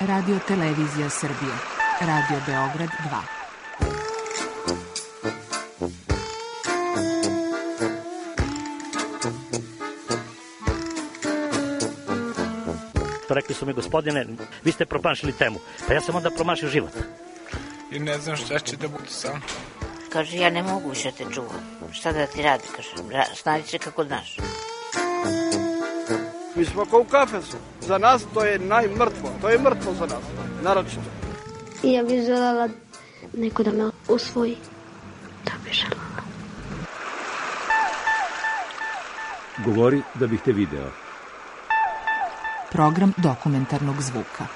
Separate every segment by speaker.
Speaker 1: Radio Televizija Srbije. Radio Beograd 2.
Speaker 2: Rekli su mi, gospodine, vi ste promašili temu. Pa ja sam onda promašio život.
Speaker 3: I ne znam šta će da bude sam.
Speaker 4: Kaže, ja ne mogu više te čuvam. Šta da ti radi, kaže, snađi se kako znaš.
Speaker 5: Mi smo kao u kafesu. Za nas to je najmrtvo. To je mrtvo za nas, naročito.
Speaker 6: Ja bih željela neko da me usvoji. Da bih željela.
Speaker 7: Govori da bih te video.
Speaker 1: Program dokumentarnog zvuka.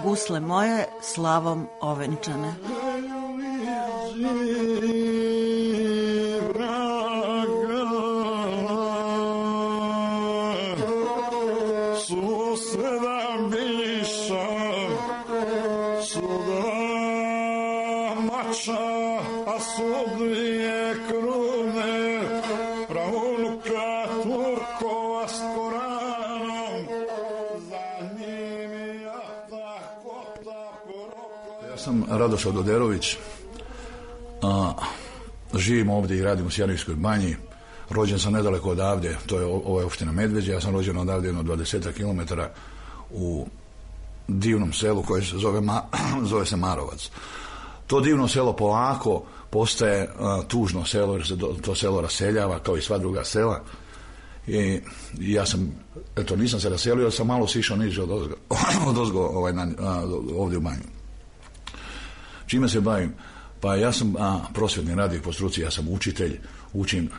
Speaker 8: Gusle moje slavom ovenčane.
Speaker 9: Radoša Doderović, živim ovdje i radim u Sjeničkoj banji, rođen sam nedaleko odavde, to je ova opština Medveđa, ja sam rođen odavde jedno 20 km u divnom selu koje se zove se Marovac. To divno selo polako postaje tužno selo jer se to selo raseljava kao i sva druga sela i ja sam, eto nisam se raselio, jer sam malo sišao niže odozgo ovdje u banju. Čime se bavim? Pa ja sam prosvjetni radnik po struci, ja sam učitelj, učim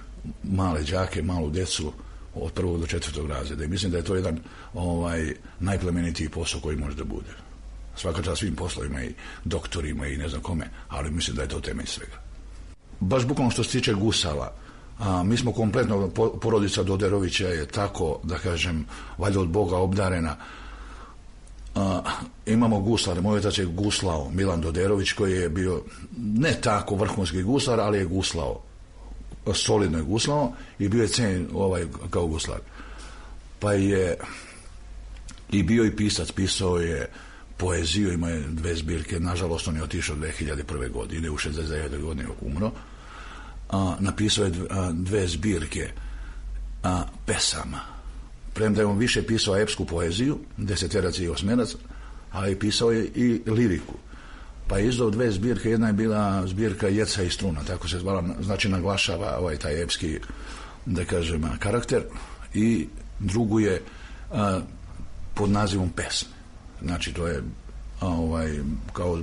Speaker 9: male đake, malu djecu od 1. do 4. razreda i mislim da je to jedan najplemenitiji posao koji može da bude. Svaka čast svim poslovima i doktorima i ne znam kome, ali mislim da je to temelj svega. Baš bukvalno što se tiče gusala, mi smo kompletno, porodica Doderovića je tako, da kažem, valjda od Boga obdarena. Imamo guslare, moj otac je guslao, Milan Doderović, koji je bio ne tako vrhunski guslar, ali je guslao, solidno je guslao i bio je cenjen kao guslar. Pa je i bio i pisac, pisao je poeziju, ima je 2 zbirke, nažalost on je otišao 2001. godine, u 69. godine umro. Napisao je 2 zbirke pesama. Premda je on više pisao epsku poeziju, 10-terac i 8-terac, ali pisao je i liriku. Pa je izdao 2 zbirke, jedna je bila zbirka Jeca i struna, tako se zvala, znači naglašava taj epski, da kažem, karakter, i drugu je pod nazivom Pesme. Znači to je kao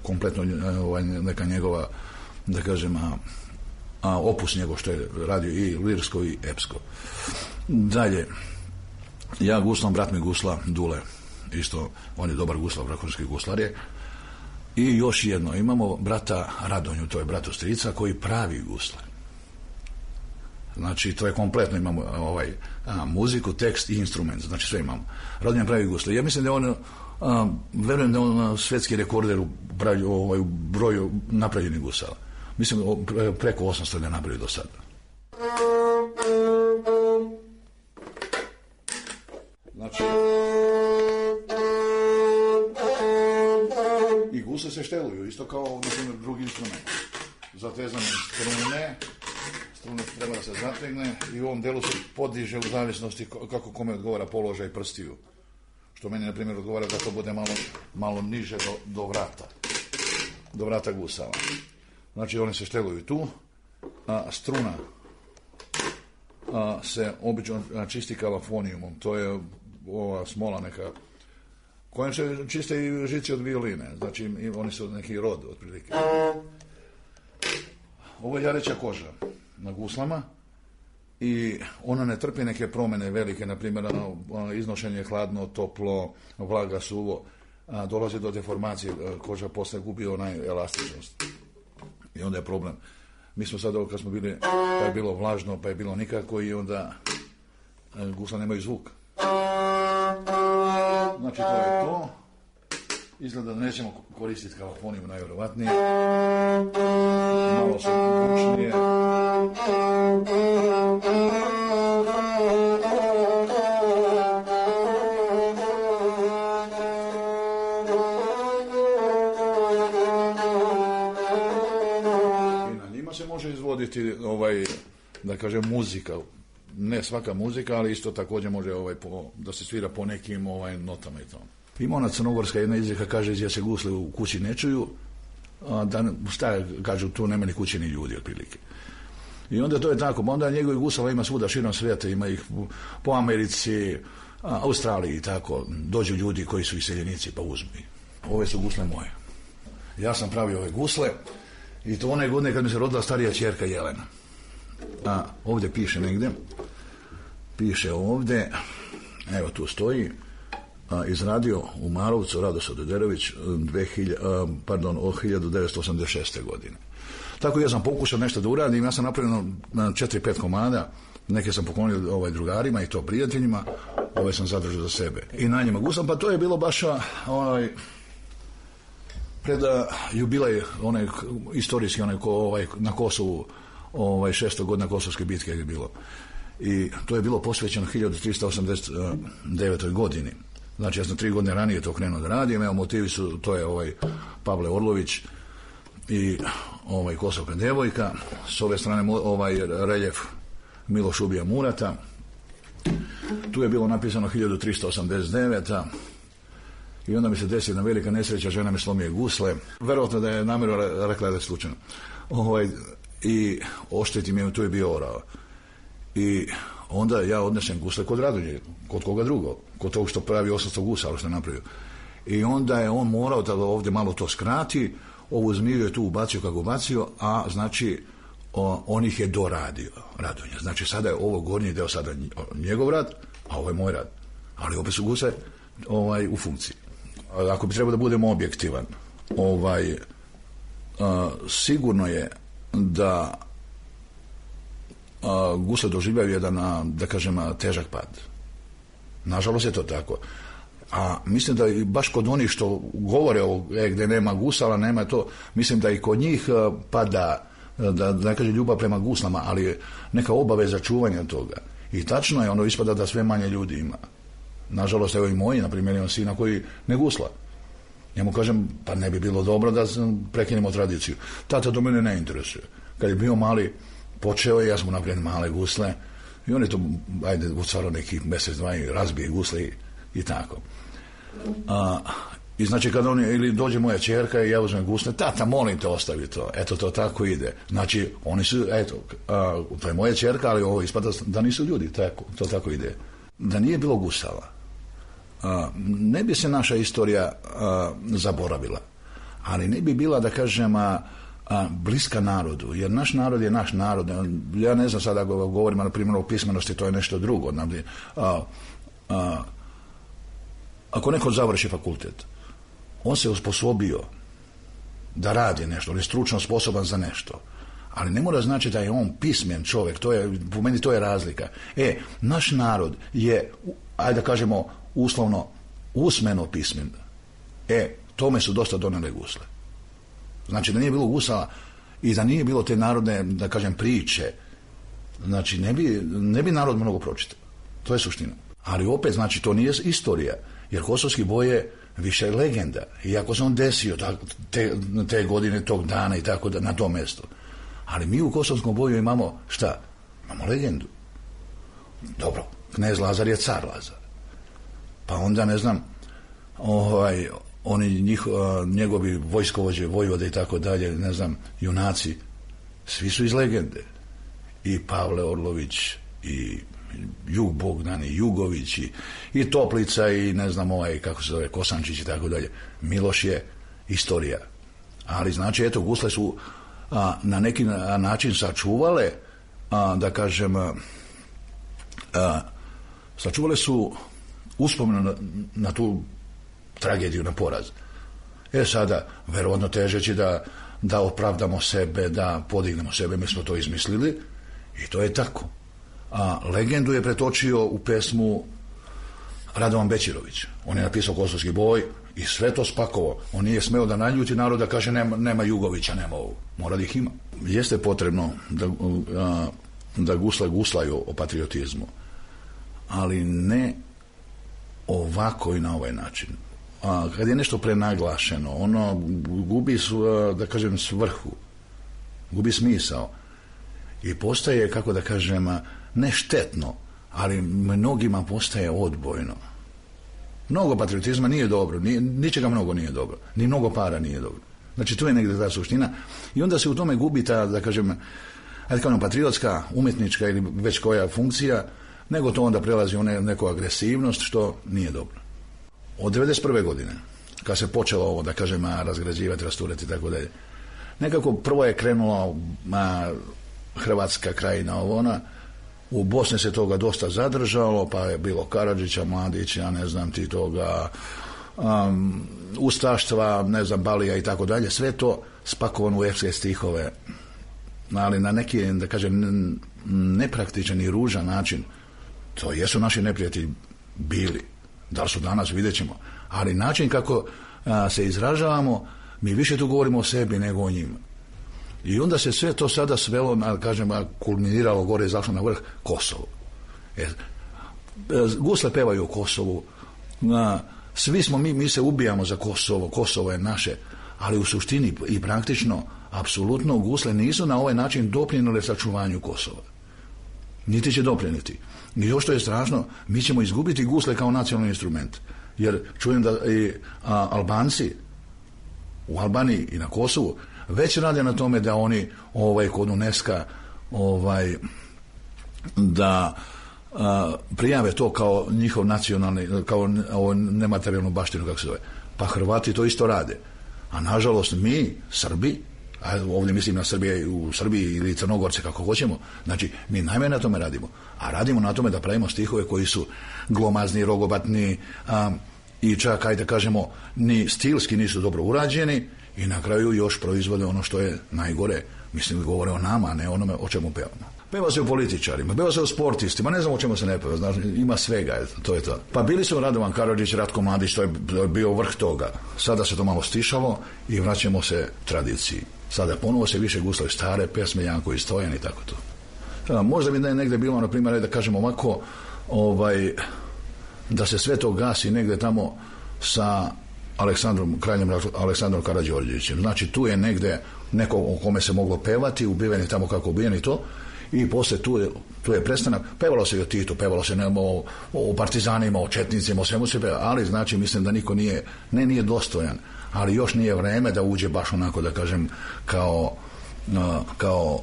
Speaker 9: kompletno neka njegova, da kažem, opus njegov što je radio i lirsko i epsko. Dalje, ja guslam, brat mi gusla, Dule, isto, on je dobar guslar, vrhunski guslar je. I još jedno, imamo brata Radonju, to je brat strica, koji pravi guslar. Znači, to je kompletno, imamo muziku, tekst i instrument, znači sve imamo. Radonja pravi guslar. Ja mislim da on, verujem da on svetski rekorder u broju napravljenih gusala. Mislim, preko 800 je napravio do sada. Znači, i gusle se šteluju, isto kao, na primjer, drugi instrument. Zatezane strune treba da se zategne i u ovom delu se podiže u zavisnosti kako kome odgovara položaj prstiju. Što meni, na primjer, odgovara da to bude malo niže do vrata gusala. Znači, one se šteluju tu, struna se obično čisti kalafonijumom, to je ova smola neka, kojom se čiste i žici od violine, znači oni su neki rod, otprilike. Ovo je jareća koža na guslama i ona ne trpi neke promjene velike, na primjer iznošenje hladno, toplo, vlaga, suvo, dolazi do deformacije, koža posle gubi onaj elastičnost i onda je problem. Mi smo sad, kad smo bili, pa je bilo vlažno, pa je bilo nikako i onda Gusle nemaju zvuk. Znači to je to. Izgleda da nećemo koristiti kalafoniju najvjerovatnije. Malo su bučnije. I na njima se može izvoditi da kažem muzika. Ne svaka muzika, ali isto također može da se svira po nekim notama i to. Ima ona crnogorska jedna izreka, kaže gdje se gusle u kući ne čuju, šta kažu, tu nema ni kući ni ljudi otprilike. I onda to je tako, onda njegovih gusala ima svuda širom svijeta, ima ih po Americi, Australiji i tako, dođu ljudi koji su iseljenici pa uzmu. Ove su gusle moje. Ja sam pravio ove gusle i to one godine kad mi se rodila starija ćerka Jelena. Ovdje piše negdje, piše ovdje, evo tu stoji, izradio u Marovcu Radoslav Dederović od 1986. godine. Tako ja sam pokušao nešto da uradim, ja sam napravio 4-5 komada, neke sam poklonio drugarima i to prijateljima, ove sam zadržao za sebe. I na njima gusam, pa to je bilo baš pred jubilej, istorijski, na Kosovu, 600 godina Kosovske bitke je bilo. I to je bilo posvećeno 1389. godini. Znači ja sam 3 godine ranije to krenuo da radim, evo motivi su, to je Pavle Orlović i Kosovka devojka, s ove strane reljef Miloš Ubija Murata, tu je bilo napisano 1389. I onda mi se desi jedna velika nesreća, žena mi slomije gusle, verovatno da je namjerno rekla da je slučajno. I ošteti mi je, tu je bio orao. I onda ja odnesem gusle kod Radonje, kod koga drugo, kod tog što pravi 800 gusa, ali što je napravio. I onda je on morao da ovdje malo to skrati, ovu zmiju je tu ubacio kako ubacio, a znači on ih je doradio, Radonja. Znači sada je ovo gornji deo sada njegov rad, a ovo je moj rad. Ali opet su guse u funkciji. Ako bi trebao da budemo objektivan, sigurno je da gusle doživljaju jedan, da kažem, težak pad. Nažalost je to tako. A mislim da i baš kod onih što govore gdje nema gusala, nema to, mislim da i kod njih pada, da ne kaže ljubav prema guslama, ali neka obaveza čuvanja toga. I tačno je, ispada da sve manje ljudi ima. Nažalost, evo i moji, na primjer, imam sina koji ne gusla. Njemu kažem, pa ne bi bilo dobro da prekinemo tradiciju. Tata to mene ne interesuje. Kad je bio mali, počeo je, ja sam mu napravio male gusle i on je to, u stvaru nekih mjesec, dva i razbije gusle i tako. I znači kad ili dođe moja ćerka i ja uzmem gusle, tata, molim te, ostavi to. Eto, to tako ide. Znači, oni su, to je moja ćerka, ali ovo ispada da nisu ljudi, to tako ide. Da nije bilo gusala, ne bi se naša istorija zaboravila, ali ne bi bila, da kažem, bliska narodu, jer naš narod je naš narod. Ja ne znam sada govorim, na primjer, o pismenosti, to je nešto drugo. Ako neko završi fakultet, on se osposobio da radi nešto, on je stručno sposoban za nešto, ali ne mora znači da je on pismen čovjek, po meni to je razlika. Naš narod je, ajde da kažemo uslovno, usmeno pismen. Tome su dosta donele gusle. Znači da nije bilo gusala i da nije bilo te narodne, da kažem, priče, znači ne bi narod mnogo pročitao. To je suština. Ali opet, znači, to nije istorija, jer Kosovski boj je više legenda. I ako se on desio te godine, tog dana i tako na tom mjestu. Ali mi u Kosovskom boju imamo šta? Imamo legendu. Dobro, knez Lazar je car Lazar. Pa onda, ne znam, oni njegovi vojskovođe, vojvode i tako dalje, ne znam, junaci, svi su iz legende. I Pavle Orlović, i Jug Bogdan, i Jugović, i Toplica, i ne znam, kako se zove, Kosančić i tako dalje. Miloš je istorija. Ali znači, eto, gusle su na neki način sačuvale, da kažem, sačuvale su uspomenu na tu tragediju, na poraz. Sada, verovatno težeći da opravdamo sebe, da podignemo sebe, mi smo to izmislili i to je tako. A legendu je pretočio u pesmu Radovan Bećirović. On je napisao Kosovski boj i sve to spakovao. On nije smeo da naljuti narod, da kaže nema Jugovića, nema ovo. Mora da ih ima. Jeste potrebno da guslaju o patriotizmu, ali ne ovako i na ovaj način. Kad je nešto prenaglašeno, ono gubi, da kažem, svrhu, gubi smisao i postaje, kako da kažem, ne štetno, ali mnogima postaje odbojno. Mnogo patriotizma nije dobro, ničega mnogo nije dobro, ni mnogo para nije dobro. Znači, tu je negdje ta suština i onda se u tome gubi ta, da kažem, patriotska, umjetnička ili već koja funkcija, nego to onda prelazi u neku agresivnost, što nije dobro. Od 1991. godine, kad se počelo ovo, da kažem, razgrađivati, rasturati i tako dalje, nekako prvo je krenulo Hrvatska krajina, ona, u Bosni se toga dosta zadržalo, pa je bilo Karadžića, Mladića, ne znam ti toga, ustaštva, ne znam, Balija i tako dalje, sve to spakovano u epske stihove, ali na neki, da kažem, nepraktičan i ružan način. To jesu naši neprijatelji bili. Da li su danas, vidjet ćemo. Ali način kako se izražavamo, mi više tu govorimo o sebi nego o njima. I onda se sve to sada svelo, kažem, kulminiralo gore i zašlo na vrh, Kosovo. Gusle pevaju o Kosovu, svi smo mi se ubijamo za Kosovo, Kosovo je naše, ali u suštini i praktično, apsolutno gusle nisu na ovaj način doprinijele sačuvanju Kosova. Niti će doprinijeti. I još što je strašno, mi ćemo izgubiti gusle kao nacionalni instrument. Jer čujem da i Albanci u Albaniji i na Kosovu već rade na tome da oni kod UNESCO da prijave to kao njihov nacionalni, kao nematerijalnu baštinu, kako se zove. Pa Hrvati to isto rade. A nažalost mi, Srbi, a ovdje mislim na Srbije, u Srbiji ili Crnogorce, kako hoćemo, znači mi najmanje na tome radimo. A radimo na tome da pravimo stihove koji su glomazni, rogobatni i čak, ajde kažemo, ni stilski nisu dobro urađeni i na kraju još proizvode ono što je najgore. Mislim, govore o nama, a ne onome o čemu pevamo. Peva se o političarima, peva se o sportistima, ne znam o čemu se ne peva, znači, ima svega, to je to. Pa bili su Radovan Karadžić, Ratko Mladić, to je bio vrh toga. Sada se to malo stišalo i vraćamo se tradiciji. Sada ponovo se više guslaju stare pesme, Janko i Stojan i tako to. Možda bi negdje bilo, na primjer, da kažemo ovako, da se sve to gasi negdje tamo sa kraljem Aleksandrom Karađorđevićem. Znači, tu je negdje neko o kome se moglo pevati, ubiveni tamo kako ubijeni to, i poslije tu je prestanak. Pevalo se i o Titu, pevalo se o partizanima, o četnicima, o svemu se peva, ali znači mislim da niko nije dostojan, ali još nije vreme da uđe baš onako, da kažem, kao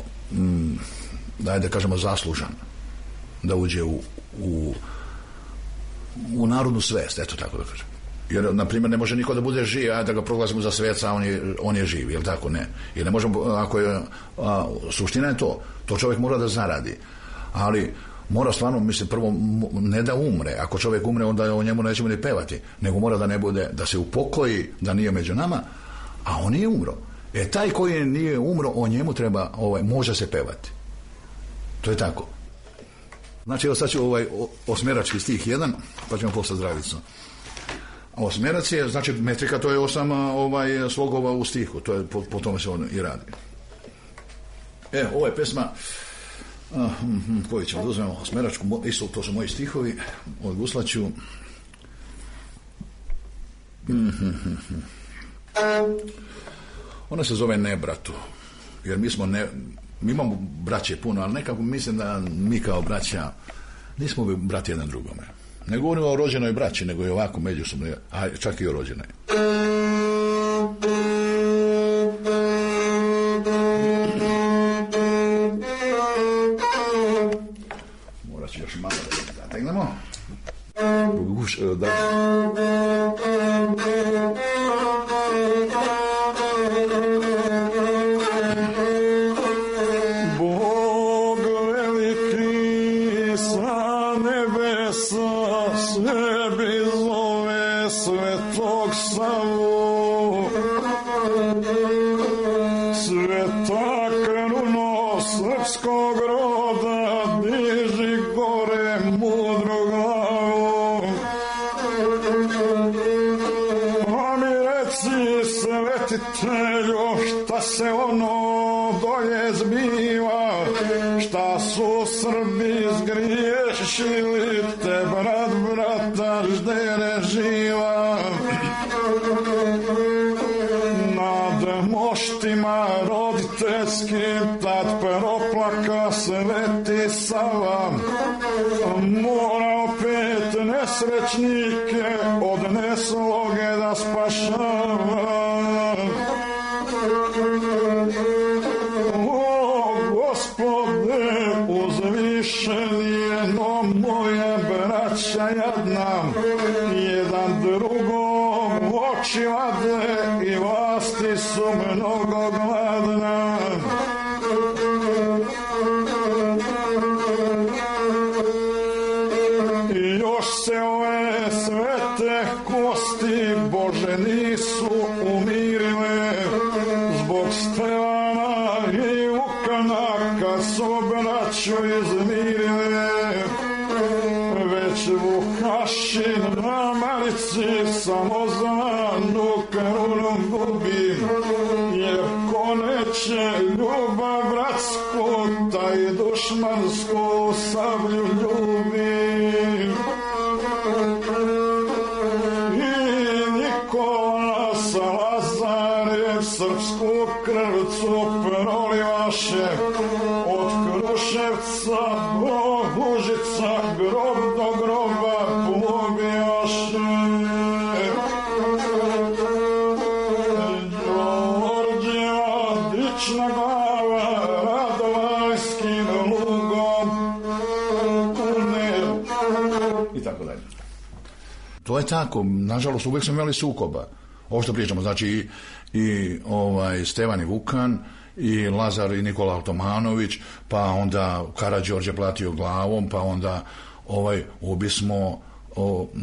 Speaker 9: da kažemo zaslužan, da uđe u narodnu svest, eto tako da kažem. Jer, na primjer, ne može niko da bude živ, da ga proglasimo za sveca, on je živ, jel tako? Ne. Jer ne možemo, ako je, suština je to čovjek mora da zaradi. Ali mora stvarno, mislim, prvo, ne da umre. Ako čovjek umre, onda o njemu nećemo ni pevati, nego mora da ne bude, da se upokoji, da nije među nama, a on nije umro. Taj koji nije umro, o njemu treba, može se pevati. To je tako. Znači, evo sad ću osmerački stih 1, pa ćemo posle zdravicu. Osmerac je, znači metrika, to je 8 slogova u stihu, to je, po tome se on i radi. Ovo je pesma koju ćemo da uzmemo, osmeračku, isto to su moji stihovi, od guslaću. Ona se zove Nebratu, jer mi imamo braće puno, ali nekako mislim da mi kao braća nismo brati jedan drugome. Ne govorimo o rođenoj braći, nego i ovako međusobno, a čak i o rođenoj. Morat ću još malo da zategnemo.
Speaker 10: Bog veliki sa nebesa sebi zove Svetog Savu, sveta kruno srpskog roda, diži se zbiva, šta su Srbi zgriješili, te brat brata ždere živa. Nad moštima roditeljskim tad peroplaka Sveti Sava, mora opet nesrećnike od nesloge da spašava. O Gospode, uzvišenijeno moje braća jadna, jedan drugom oči vade i vlasti su mnogo gladna. I još se ove svete kosti Bože nisu umirile, zbog Stevana i Vukana kad su braću izmirile. Već Vukašin na marici samo znanu krunu gubi, jer ko neće ljubav bratsku, taj dušmansku sablju ljubi. I Nikola Salazar srpsku krvcu prolivaše, od Kruševca do Užica, grob do groba pobijaše. Đorđeva dična glava, Radovajskim lugom kunel.
Speaker 9: I tako dalje. To je tako, nažalost uvijek smo imali sukoba. Ovo što pričamo, znači i Stevan i Vukan, i Lazar i Nikola Altomanović, pa onda Karađorđe platio glavom, pa onda ubismo,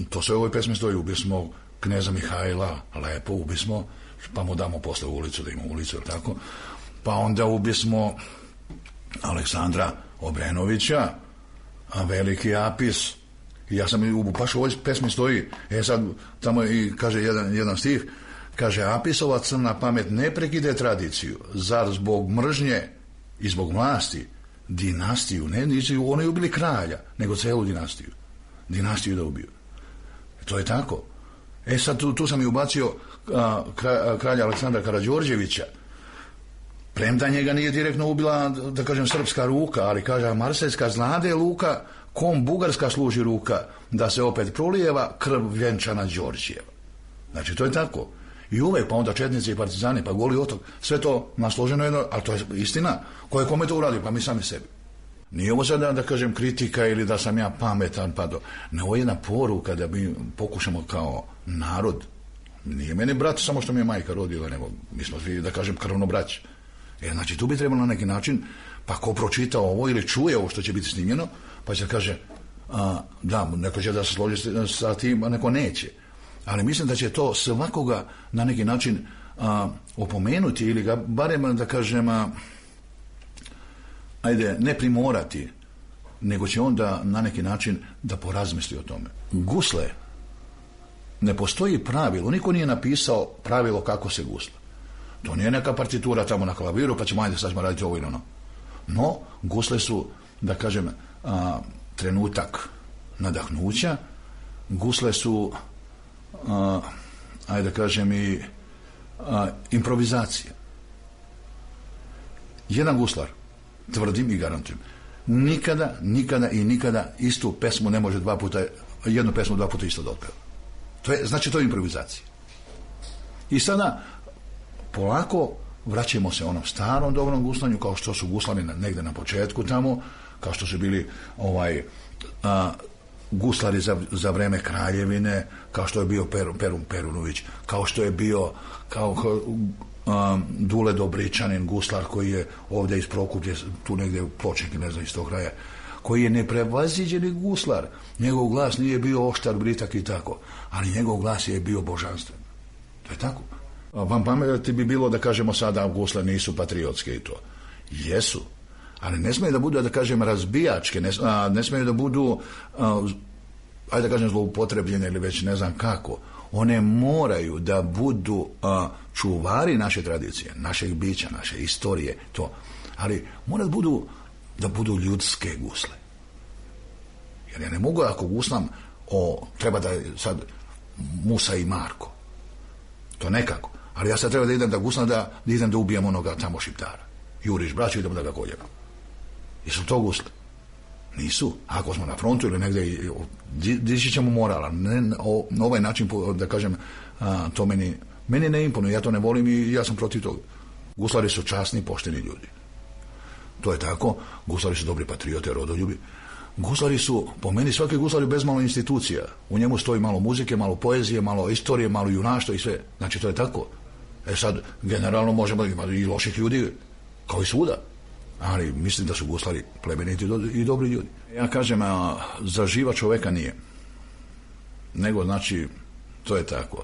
Speaker 9: to sve u ovoj pesmi stoji, ubismo kneza Mihajla, lepo ubismo, pa mu damo posle ulicu, da ima ulicu, ili tako, pa onda ubismo Aleksandra Obrenovića, a veliki Apis. I ja sam, baš u ovoj pesmi stoji, sad tamo i kaže jedan stih, kaže, Apisova crna pamet ne prekide tradiciju, zar zbog mržnje i zbog vlasti dinastiju, oni ubili kralja, nego celu dinastiju da ubiju. To je tako. Sad tu sam i ubacio kralja Aleksandra Karađorđevića, premda njega nije direktno ubila, da kažem, srpska ruka, ali kaže, Marsejska znade luka, kom bugarska služi ruka, da se opet prolijeva krv vjenčana Đorđijeva. Znači, to je tako. I uvek, pa onda četnici i partizani, pa Goli otok, sve to nasloženo jedno, ali to je istina. Ko je kome to uradio? Pa mi sami sebi. Nije ovo sada, da kažem, kritika ili da sam ja pametan, pa ne, ovo je jedna poruka da mi pokušamo kao narod, nije meni brat samo što mi je majka rodila, nego mi smo svi, da kažem, krvno braći. Znači, tu bi trebalo na neki način, pa ko pročita ovo ili čuje ovo što će biti snimljeno, pa će kaže, da, neko će da se složi sa tim, a neko neće. Ali mislim da će to svakoga na neki način opomenuti ili ga barem, da kažem, ne primorati, nego će onda na neki način da porazmisli o tome. Gusle, ne postoji pravilo, niko nije napisao pravilo kako se gusla. To nije neka partitura tamo na klaviru, pa ćemo, sad ćemo raditi ovo ili ono. No, gusle su, da kažem, trenutak nadahnuća, gusle su, da kažem, i improvizacija. Jedan guslar, tvrdim i garantujem, nikada istu pesmu ne može jednu pesmu dva puta isto da otpeva. Znači, to je improvizacija. I sada polako vraćamo se onom starom dobrom guslanju, kao što su guslani negde na početku tamo, kao što su bili guslari za vreme kraljevine, kao što je bio Perun Perunović, kao što je bio Dule Dobričanin, guslar koji je ovdje iz Prokuplje, tu negdje u Pločnik, ne znam, iz tog kraja, koji je neprevaziđeni guslar. Njegov glas nije bio oštar, britak i tako, ali njegov glas je bio božanstven. To je tako. Vam pameti bi bilo da kažemo sada gusle nisu patriotske i to. Jesu, ali ne smije da budu, da kažem, razbijačke, ne smije da budu, da kažem, zloupotrebljene ili već ne znam kako. One moraju da budu čuvari naše tradicije, našeg bića, naše istorije, to. ali mora da budu ljudske gusle. Jer ja ne mogu, ako guslam treba da je sad Musa i Marko. To nekako. Ali ja sad treba da idem da guslam, da idem da ubijem onoga tamo Šiptara. Juriš braću, idemo da ga koljemo. Jesu to gusle? Nisu. Ako smo na frontu ili negdje, dići ćemo morala. Na ovaj način, da kažem, to meni ne imponuje. Ja to ne volim i ja sam protiv toga. Guslari su časni, pošteni ljudi. To je tako. Guslari su dobri patriote, rodoljubi. Guslari su, po meni, svaki guslar je bez malo institucija. U njemu stoji malo muzike, malo poezije, malo istorije, malo junaštva i sve. Znači, to je tako. Sad, generalno možemo imati i loših ljudi, kao i svuda. Ali mislim da su guslari plemeniti i dobri ljudi. Ja kažem, za živa čoveka nije. Nego, znači, to je tako.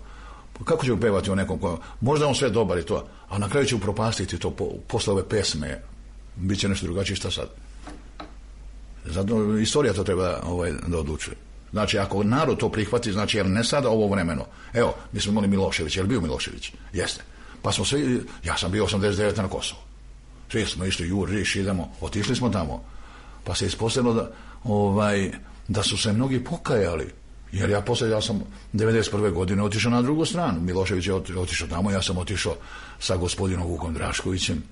Speaker 9: Kako će upevati o nekom ko... Možda on sve dobar i to, a na kraju će upropastiti to posle ove pesme. Biće nešto drugačije, šta sad? Zato istorija to treba da odlučuje. Znači, ako narod to prihvati, znači, jer ne sada ovo vremeno. Evo, mi smo imali Milošević, je li bio Milošević? Jeste. Pa smo svi, ja sam bio 89 na Kosovo. Svi smo išli, Juriš, idemo, otišli smo tamo. Pa se ispostavilo da su se mnogi pokajali. Jer ja sam 91. godine otišao na drugu stranu. Milošević je otišao tamo, ja sam otišao sa gospodinom Vukom Draškovićem.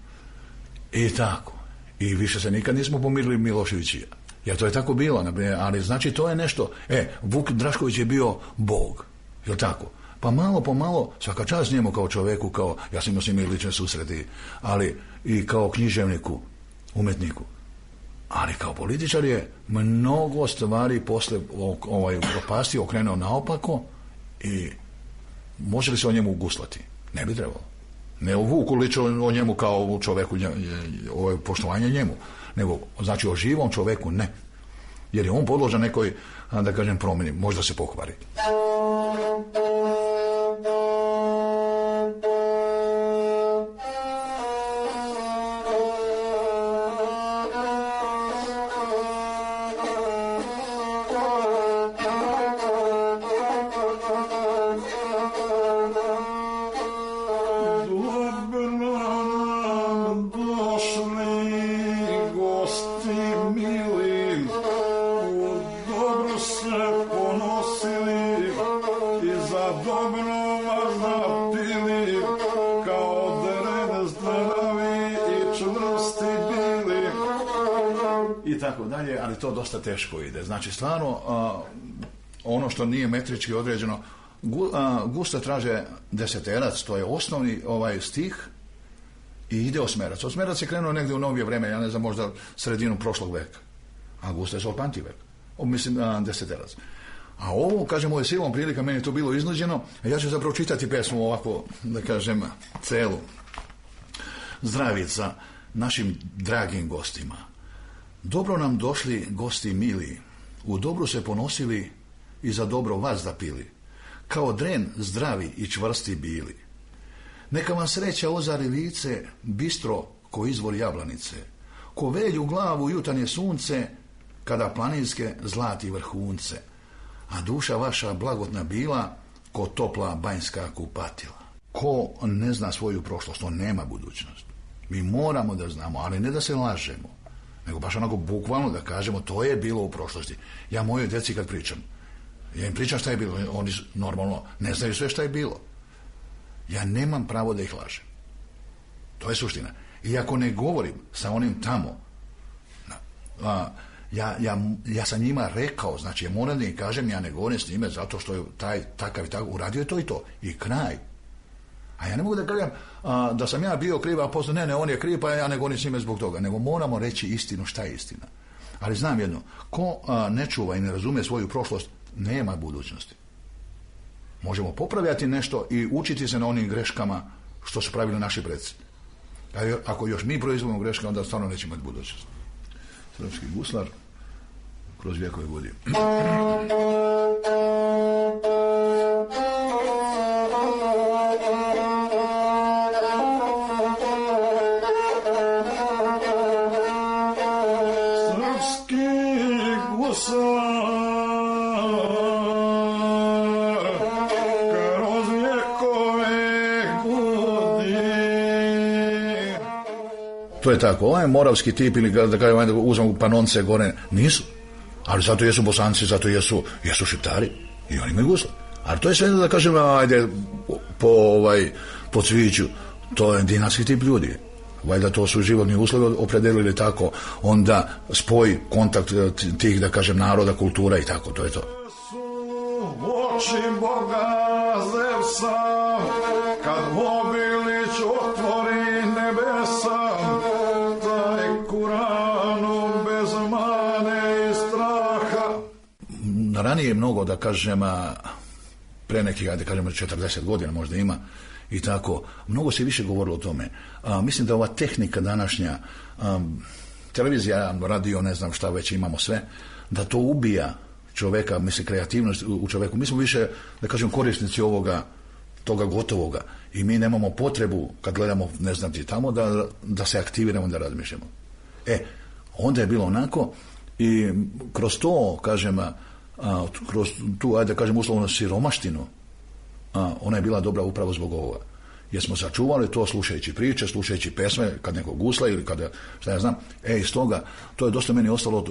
Speaker 9: I tako. I više se nikad nismo pomirili Milošević i ja. Jer to je tako bilo, ali znači to je nešto. Vuk Drašković je bio Bog. Je tako? Pa malo po malo, svaka čast njemu kao čoveku, kao, ja sam imao s njim i lične susreti, ali i kao književniku, umetniku. Ali kao političar je mnogo stvari posle propasti okrenuo naopako i može li se o njemu guslati? Ne bi trebalo. Ne o Vuku lično o njemu kao o čoveku, poštovanje njemu, nego znači o živom čoveku ne. Jer je on podložan nekoj, da kažem, promjeni, možda se pokvari. Ali to dosta teško ide. Znači, stvarno, ono što nije metrički određeno, gusta traže deseterac, to je osnovni stih i ide osmerac. Osmerac je krenuo negdje u novije vreme, ja ne znam, možda sredinu prošlog veka. A gusta je solpanti vek. Mislim, deseterac. A ovo, kažem, ovo je silom prilika, meni je to bilo iznuđeno, a ja ću zapravo čitati pesmu ovako, da kažem, celu. Zdravica našim dragim gostima. Dobro nam došli gosti mili, u dobru se ponosili i za dobro vazda pili, kao dren zdravi i čvrsti bili. Neka vam sreća ozari lice, bistro ko izvor jablanice, ko velju glavu jutarnje sunce, kada planinske zlati vrhunce, a duša vaša blagotna bila, ko topla banjska kupatila. Ko ne zna svoju prošlost, on nema budućnost. Mi moramo da znamo, ali ne da se lažemo, nego baš onako bukvalno da kažemo to je bilo u prošlosti. Ja mojoj djeci kad pričam, ja im pričam šta je bilo, oni normalno ne znaju sve šta je bilo. Ja nemam pravo da ih lažem. To je suština. I ako ne govorim sa onim tamo, ja sam njima rekao, znači ja moram da im kažem, ja ne govorim s njime zato što je taj takav i takav, uradio je to i to. I kraj. A ja ne mogu da kažem da sam ja bio kriv, a posle ne, on je kriv, pa ja ne govorim s njime zbog toga. Nego moramo reći istinu, šta je istina. Ali znam jedno, ko ne čuva i ne razume svoju prošlost, nema budućnosti. Možemo popravljati nešto i učiti se na onim greškama što su pravili naši preci. Ako još mi proizvodimo greške, onda stvarno nećemo imati budućnost. Srpski guslar kroz vjekove vodi. To je tako. Ovaj moravski tip ili da kažem uzmemo Panonce gore, nisu. Ali zato jesu Bosanci, zato jesu Šiptari i oni imaju gusle. Ali to je sve da kažem, ajde po cviću, to je dinarski tip ljudi. Valjda to su životni uslovi opredelili tako, onda spoj, kontakt tih, da kažem, naroda, kultura i tako, to je to.
Speaker 10: Oči Boga Zevsa, kad Obilić otvori nebesa, taj Kuranu bez mane i straha.
Speaker 9: Ranije je mnogo, da kažem, pre nekih, da kažem, 40 godina možda ima, i tako, mnogo se više govorilo o tome. Mislim da ova tehnika današnja, televizija, radio, ne znam šta već imamo sve, da to ubija čoveka, mislim, kreativnost u čoveku. Mi smo više, da kažem, korisnici toga gotovoga i mi nemamo potrebu, kad gledamo, ne znam ti tamo, da se aktiviramo, da razmišljamo. Onda je bilo onako i kroz to, kažem, kroz tu, ajde da kažem, uslovno siromaštinu, ona je bila dobra upravo zbog ovoga. Jer smo sačuvali to slušajući priče, slušajući pesme, kad neko gusla ili kada, šta ja znam, iz toga, to je dosta meni ostalo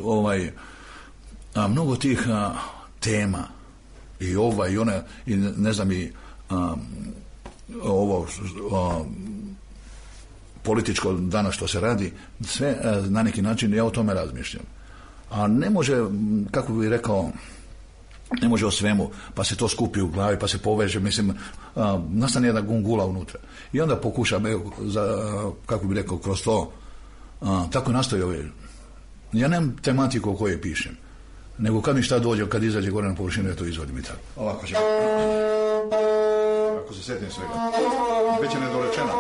Speaker 9: mnogo tih tema i ova i ona, i ne znam, i ovo političko danas što se radi, sve na neki način ja o tome razmišljam. A ne može, kako bih rekao, ne može o svemu, pa se to skupi u glavi, pa se poveže, mislim, nastane jedna gungula unutra. I onda pokušam, kako bih rekao, kroz to, tako nastoji ove. Ja nemam tematiku o kojoj pišem, nego kad mi šta dođe, kad izađe gore na površinu, ja to izvodim i tako. Ovako ćemo. Ako se sjetim svega. Već je nedorečena.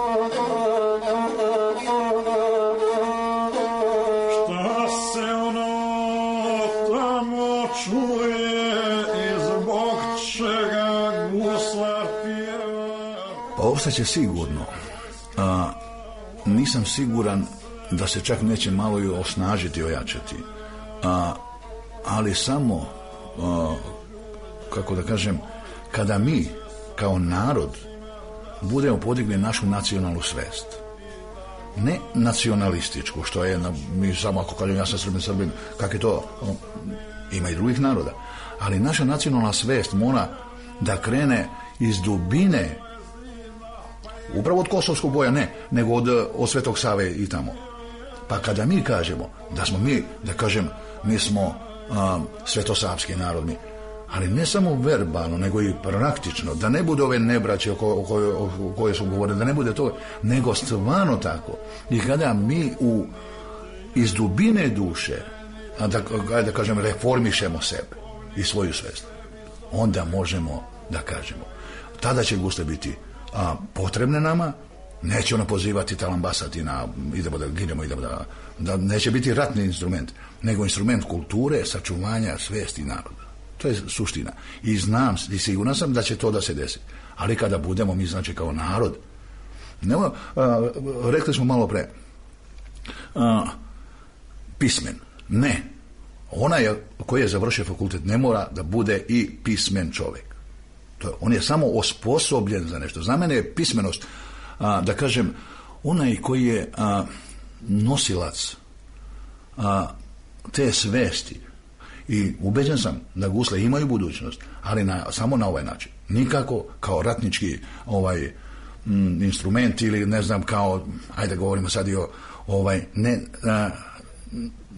Speaker 10: Šta se ono tamo čuje i zbog čega guslar pjeva?
Speaker 9: Pa ostaće sigurno. Nisam siguran da se čak neće malo i osnažiti, ojačati. Ali samo, kako da kažem, kada mi kao narod budemo podigli našu nacionalnu svest, ne nacionalističku, što je, mi samo ako kažem ja sam Srbin, kak je to, ima i drugih naroda, ali naša nacionalna svest mora da krene iz dubine, upravo od Kosovskog boja, ne, nego od Svetog Save i tamo. Pa kada mi kažemo da smo mi, da kažem, mi smo svetosavski narod, ali ne samo verbalno, nego i praktično, da ne bude ove nebraće o koje su govorili, da ne bude to, nego stvarno tako. I kada mi iz dubine duše, da kažem, reformišemo sebe i svoju svest, onda možemo da kažemo. Tada će gusle biti potrebne nama, neće ona pozivati, talambasati na idemo da ginemo, idemo da neće biti ratni instrument, nego instrument kulture, sačuvanja svesti naroda. To je suština. I znam i siguran sam da će to da se desi. Ali kada budemo mi, znači, kao narod, rekli smo malo pre, pismen. Ne. Onaj koji je završio fakultet ne mora da bude i pismen čovjek. On je samo osposobljen za nešto. Za mene je pismenost, da kažem, onaj koji je nosilac te svesti. I ubeđen sam da gusle imaju budućnost, ali samo na ovaj način. Nikako kao ratnički instrument ili ne znam kao, ajde govorimo sad i o ne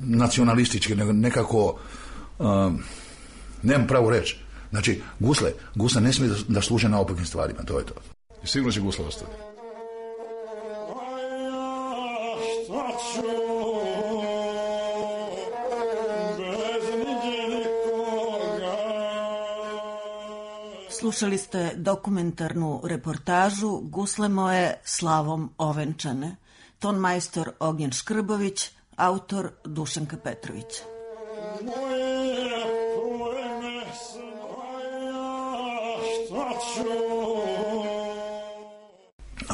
Speaker 9: nacionalistički, nego nekako nemam pravo reći. Znači, gusle ne smije da služe na opakim stvarima, to je to. I sigurno će gusle ostati.
Speaker 8: Slušali ste dokumentarnu reportažu Gusle moje slavom ovenčane. Ton majstor Ognjen Škrbović, autor Dušanka Petrović.
Speaker 10: Moje pleme snaja, šta ću